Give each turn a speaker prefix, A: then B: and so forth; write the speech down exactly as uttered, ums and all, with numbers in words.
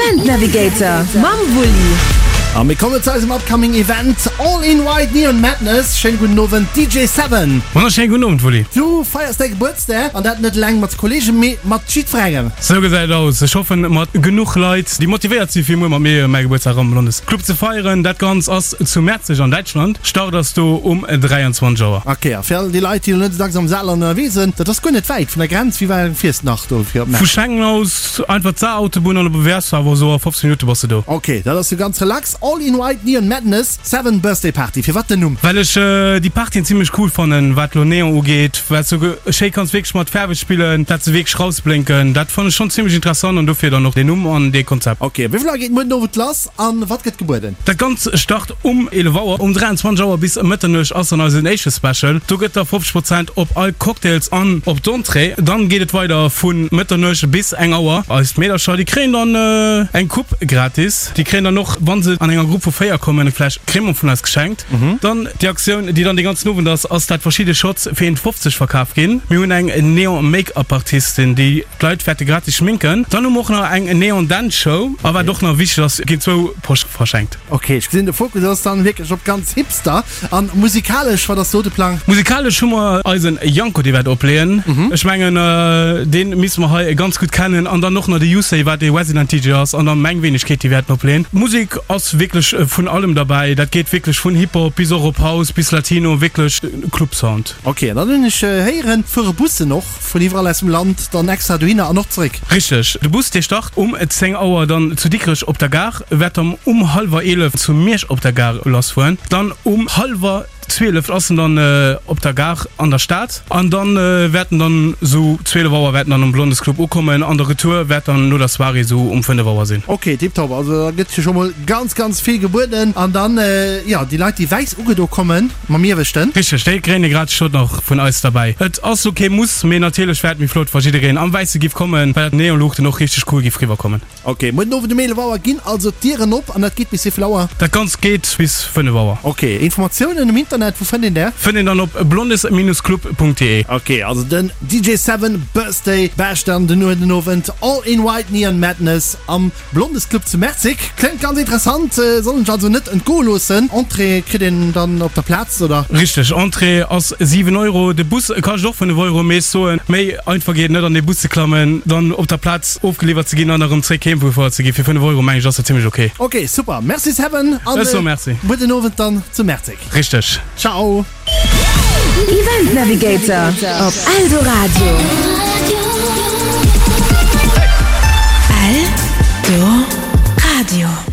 A: Event Navigator mam Wulli.
B: A mir kommen zu eisem upcoming Event All in White Neon Madness. Schéine gudden Owend D J Seven.
C: Wonnerschéine gudden Owend Wulli.
B: Du feiers däi Gebuertsdag an dat net eleng mat Kollegen, mee mat jiddwerengem.
C: Sou gesäit et aus. Ech hoffen mat genuch Leit déi motivéiert si fir muer mat mir mäi Gebuertsdag am Blondes Club ze feieren. Dat Ganzt ass zu Merzig an Däitschland. Start ass do um dräianzwanzeg Auer.
B: Ok, a fir all déi Leit déi elo net esou dacks am Saarland ënnerwee sinn, dat ass guer net wäit vun der Grenz. Wéi wäit fiers de nach do fir op
C: Vu
B: Merzig?
C: Schengen aus einfach d'Saar-Autobunn an op wäers du awer esou a fofzéng Minutte bass de do.
B: Ok, dat ass jo ganz relax. All in White Neon Madness, Seven Birthday Party. Firwat den Numm?
C: Well ech déi Partyen zimlech cool fannen, wat lo Neon ugeet, well s du schéi kanns wierklech mat Faarwe spillen, dat se wierklech rausblénken. Dat fannen ech schonn zimlech interessant an dofir dann och deen Numm an dee Konzept.
B: Ok, wéi vill Auer geet muer den Owend lass an wat gëtt gebueden?
C: Dat Ganzt start um eelef Auer. Um dräianzwanzeg Auer bis Mëtternuecht ass dann eisen éischte Special. Do gëtt da fofzeg Prozent op all Cocktails an op d'Entrée. Dann geet et weider vu Mëtternuecht bis eng Auer. Eis Meedercher, déi kréien dann eng Coupe gratis. Déi kréien dann och, wa se an enger Grupp vu véier kommen, eng Fläsch Crémant vun eis geschenkt. Dann déi Aktioun, déi dann dee ganzen Owend ass, ass dat verschidde Shots fir een fofzeg verkaf ginn. Mir hunn eng Neon Make-up Artistin, déi d'Leit wäerte gratis schminken. Dann hu mer och nach eng Neon Dance Show. A wat och nach wichteg ass, ginn zwou Posch verschenkt.
B: Ok, ech gesinn de Fokus ass dann wierklech op ganz Hipster. An musikalesch, wat ass do de Plang?
C: Musikalesch hu mer eisen Janko, dee wäert opleeën. Ech mengen dee misste mer hei ganz gutt kennen. An dann och nach de Yusei, wat ee Resident D J ass, an dann meng Wenegkeet, déi wäerten opleeën. D'Musek ass wierklech vun allem derbäi. Dat geet wierklech vun Hip-Hop bis och op House bis Latino, wierklech Club Sound.
B: Ok, an dann hunn ech héieren, fuere Bussen och vun iwwerall aus dem Land dann extra dohinner an och zeréck?
C: Richteg, de Bus dee start um zéng Auer dann zu Dikrech op der Gare, wäert dann um hallwer eelef zu Miersch op der Gare lassfueren, dann um hallwer zwielef ass en dann op der Gare an der Stad an dann wäert en dann sou zwielef Auer wäert en dann um Blondes Club ukommen an de Retour wäert dann no der Soirée sou um fënnef Auer sinn.
B: Ok, tiptop, also da gëtt jo scho mol ganz ganz vill gebueden an dann jo déi Leit déi wäiss ugedo kommen mam Ieweschten.
C: Richteg, déi kréien e gratis Shot nach vun eis derbäi. Et ass lo kee Muss, mee natierlech wär et méi flott wa jiddereen am Wäisse giff kommen, well d'Neonluuchten och richteg cool giff riwwer kommen.
B: Ok, muer den Owend um eelef Auer ginn also d'Dieren op an dat geet bis wéivill Auer?
C: Dat Ganzt geet bis fënnef Auer.
B: Ok, Informatiounen um Internet, wou fënnt een där?
C: Fënnt een dann op blondes-club.de.
B: Ok, also den D J Seven Birthday Bash dann den muer den Owend, All in White Neon Madness am Blondes Club zu Merzig. Kléngt ganz interessant, soll een sech also net entgoe loossen. Entrée kritt een dann op der Plaz, oder?
C: Richteg, Entrée ass siwen Euro, de Bus kascht och fënnef Euro, mee ech soen, méi einfach geet et net an dee Bus ze klammen, dann op der Plaz ofgeliwwert ze ginn an erëm zréck heem gefuer ze ginn. Fir fënnef Euro mengen ech ass dat zimlech ok.
B: Ok, super, merci Seven an
C: Ech soe merci.
B: gudden Owend dann zu Merzig.
C: Richteg.
B: Ciao.
A: Event Navigator op Eldoradio. Eldoradio.